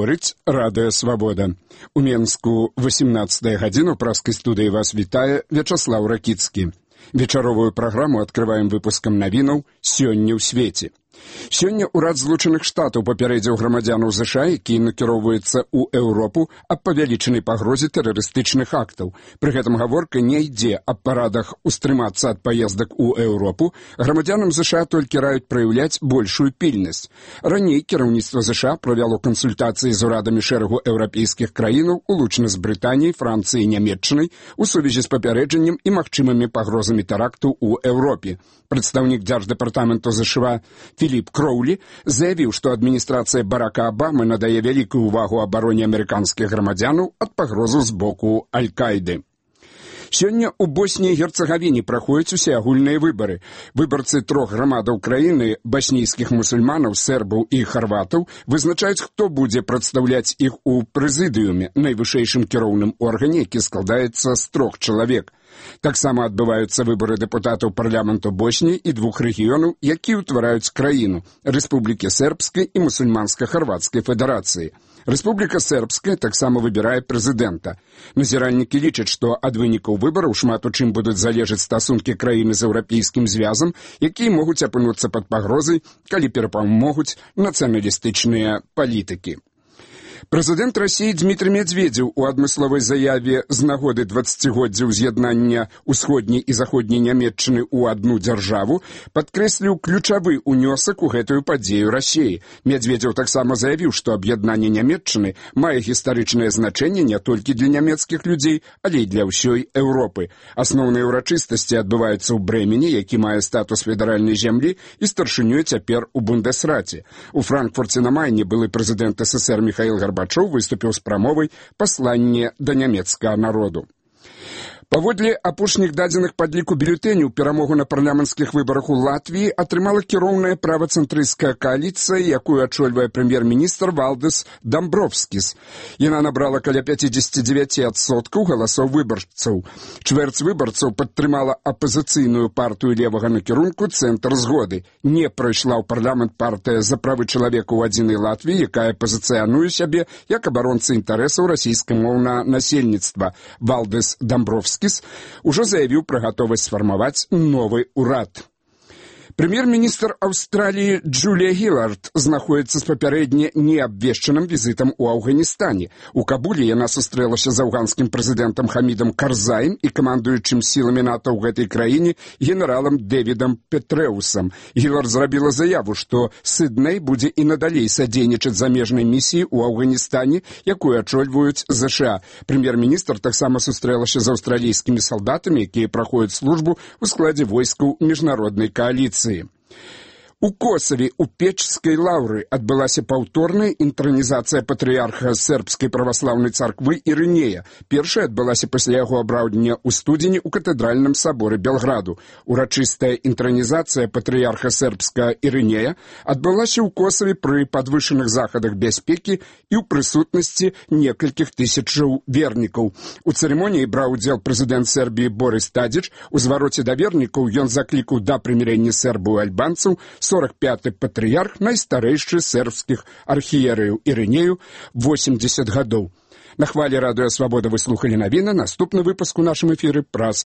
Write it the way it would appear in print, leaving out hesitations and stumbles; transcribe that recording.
Гаворыць Радыё Свабода. У Менску 18 гадзіну праскай студыі вас вітае Вячаслаў Ракіцкі. Вечаровую праграму открываем выпускам навінаў «Сёння ў свеце». Сёння ўрад Злучаных Штатаў папярэдзіў грамадзянаў ЗША, які накіроўваецца ў Еўропу аб павялічанай пагрозе тэрарыстычных актаў. Пры гэтым гаворка не ідзе аб парадах устрымацца ад паездак у Еўропу. Грамадзянам ЗША толькі раюць праяўляць большую пільнасць. Раней кіраўніцтва ЗША правяло кансультацыі з урадамі шэрагу еўрапейскіх краінаў, улучна з Брытаніяй, Францыяй і Нямецчынай, у сувязі з папярэджаннем і магчымымі пагрозамі тэракту ў Еўропе. Прадстаўнік дзярждэпартаменту ЗША Філіп Кроўлі заявіў, што адміністрацыя Барака Абамы надае вялікую ўвагу абароне амерыканскіх грамадзянаў ад пагрозы з боку Аль-Каіды. Сёння ў Боснії і Герцагавіне праходзяць усеагульныя выбары. Выбарцы трох грамадаў краіны, баснійскіх мусульманаў, сербаў і харватаў, вызначаюць, хто будзе прадстаўляць іх у прэзідыуме, найвышэйшым кіроўным органе, які складаецца з 3 чалавек. Таксама адбываюцца выбары дэпутатаў парламенту Босніі і 2 рэгіёнаў, якія ўтвараюць краіну – Рэспублікі Сербскай і Мусульманска-Харватскай федэрацыі. Рэспубліка Сербская таксама выбірае прэзідэнта. Назіральнікі лічаць, што ад вынікаў выбараў шмат у чым будуць залежаць стасункі краіны з еўрапейскім звязам, якія могуць апынуцца пад пагрозай, калі перапамогуць нацыяналістычныя палітыкі. Прэзідэнт Расіі Дмітрый Медведзеў у адмысловай заяве з нагоды 20-годдзя ўз'яднання ўсходняй і заходняй Нямецчыны ў адну дзяржаву падкрэсліў ключавы ўнёсак у гэтую падзею Расіі. Медведзеў таксама заявіў, што аб'яднанне Нямецчыны мае гістарычнае значэнне не толькі для нямецкіх людзей, але і для ўсёй Еўропы. Асноўныя ўрачыстасці адбываюцца ў Брэмені, які мае статус федэральнай зямлі і старшынёй цяпер у Бундесраце. У Франкфурце на Майне былы прэзідэнт СССР Міхаіл Гарбачоў выступіў з прамовай «Пасланне да нямецкага народу». Паводле апошніх дадзеных падліку бюлетэняў перамогу на парламенцкіх выбарах у Латвіі атрымала кіроўная правацэнтрысцкая кааліцыя, якую ачольвае прэм'ер-міністр Валдыс Дамбровскіс. Яна набрала каля 59% галасоў выбарцаў. Чвэрць выбарцаў падтрымала апазіцыйную партыю левага накірунку «Цэнтр згоды». Не прайшла ў парламент партыя «За правы чалавека ў адзінай Латвіі», якая пазіцыянуе сябе як абаронца інтарэсаў расійскамоўнага насельніцтва. Валдыс Дамбровскі ужо заявіў пра гатовасць сфармаваць новы ўрад. Прэм'ер-міністр Аўстраліі Джулія Гілард знаходзіцца з папярэдне неабвешчаным візітам у Афганістане. У Кабуле яна сустрэлася з афганскім прэзідэнтам Хамідам Карзаем і камандуючым сіламі НАТО ў гэтай краіне генералам Дэвідам Петрэусам. Гілард зрабіла заяву, што Сідней будзе і надалей садзейнічаць замежнай місіі ў Афганістане, якую ачольваюць ЗША. Прэм'ер-міністр таксама сустрэлася з аўстралійскімі салдатамі, якія праходзяць службу ў складзе войскаў міжнароднай кааліцыі. У Косаве у Печскай лаўры адбылася паўторная інтранізацыя патрыярха сербскай праваслаўнай царквы Ірынея. Першая адбылася пасля яго абраўдня ў студзені ў катэдральным саборы Белграду. Урачыстая інтранізацыя патрыярха сербскага Ірынея адбылася ў Косаве пры падвышаных захадах бяспекі і ў прысутнасці некалькіх тысячаў вернікаў. У цырымоніі браў удзел прэзідэнт Сербіі Борис Тадзіч. У звароце да вернікаў ён заклікаў да прымірэння сербаў і альбанцаў 45-й патрыярх найстарэйшы сербскіх архіерэяў Ірынею 80 гадоў. На хвалі Радыё Свабода вы слухалі навіны. Наступны выпуск у нашым эфіры праз